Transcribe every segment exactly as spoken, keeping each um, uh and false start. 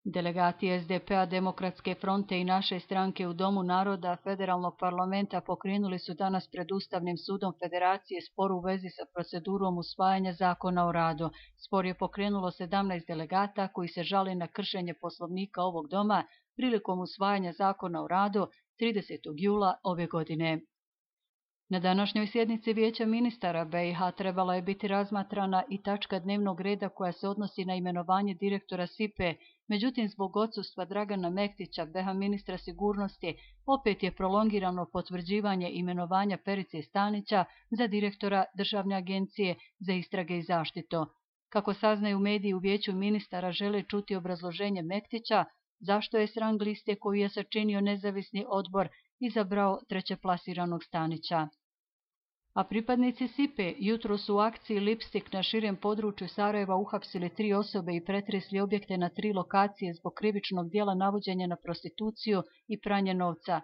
Delegati es de pe a, Demokratske fronte i naše stranke u Domu naroda Federalnog parlamenta pokrenuli su danas pred Ustavnim sudom Federacije spor u vezi sa procedurom usvajanja zakona o radu. Spor je pokrenulo sedamnaest delegata koji se žale na kršenje Poslovnika ovog doma prilikom usvajanja zakona o radu tridesetog jula ove godine. Na današnjoj sjednici Vijeća ministara be i ha trebala je biti razmatrana i tačka dnevnog reda koja se odnosi na imenovanje direktora es i pe e, međutim zbog odsustva Dragana Mektića, be ha ministra sigurnosti, opet je prolongirano potvrđivanje imenovanja Perice Stanića za direktora Državne agencije za istrage i zaštitu. Kako saznaju mediji u Vijeću ministara žele čuti obrazloženje Mektića zašto je s rang liste koju je sačinio nezavisni odbor izabrao trećeplasiranog Stanića. A pripadnici es i pe e jutro su u akciji Lipstik na širem području Sarajeva uhapsili tri osobe i pretresli objekte na tri lokacije zbog krivičnog dijela navođenja na prostituciju i pranje novca.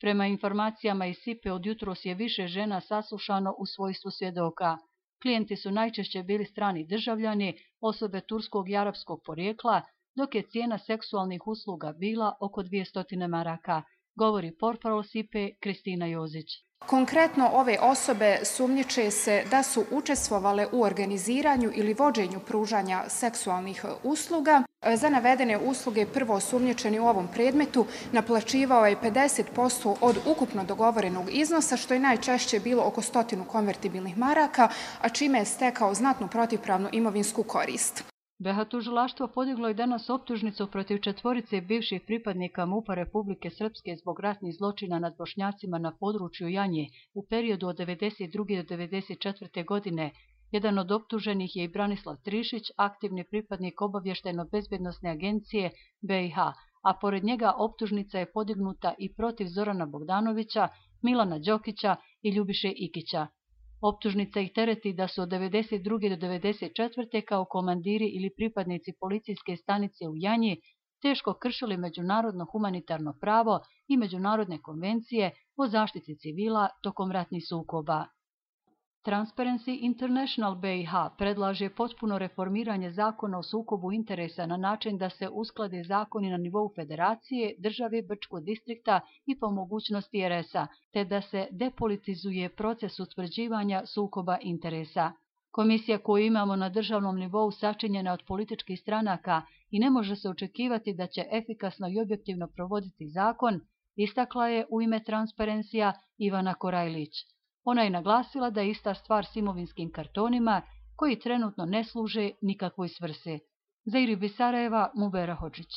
Prema informacijama iz es i pe e od jutros je više žena saslušano u svojstvu svjedoka. Klijenti su najčešće bili strani državljani, osobe turskog i arapskog porijekla, dok je cijena seksualnih usluga bila oko dvjesto maraka, govori portparol es i pe e Kristina Jozić. Konkretno ove osobe sumnjiče se da su učestvovale u organiziranju ili vođenju pružanja seksualnih usluga. Za navedene usluge prvo osumnjičeni u ovom predmetu naplaćivao je pedeset posto od ukupno dogovorenog iznosa, što je najčešće bilo oko stotinu konvertibilnih maraka, a čime je stekao znatnu protivpravnu imovinsku korist. be ha tužilaštvo podiglo je danas optužnicu protiv četvorice bivših pripadnika MUP-a Republike Srpske zbog ratnih zločina nad Bošnjacima na području Janje u periodu od devedeset druge do devedeset četvrte godine. Jedan od optuženih je i Branislav Trišić, aktivni pripadnik obavještajno-bezbednosne agencije be i ha, a pored njega optužnica je podignuta i protiv Zorana Bogdanovića, Milana Đokića i Ljubiše Ikića. Optužnica ih tereti da su od devedeset druge do devedeset četvrte kao komandiri ili pripadnici policijske stanice u Janji teško kršili međunarodno humanitarno pravo i međunarodne konvencije o zaštiti civila tokom ratnih sukoba. Transparency International be i ha predlaže potpuno reformiranje zakona o sukobu interesa na način da se usklade zakoni na nivou federacije, države, Brčkog distrikta i po mogućnosti er es a, te da se depolitizuje proces utvrđivanja sukoba interesa. Komisija koju imamo na državnom nivou sačinjena od političkih stranaka i ne može se očekivati da će efikasno i objektivno provoditi zakon, istakla je u ime Transparencija Ivana Korajlić. Ona je naglasila da je ista stvar s imovinskim kartonima koji trenutno ne služe nikakvoj svrsi. Za Iribi Sarajeva, Mubera Hodžić.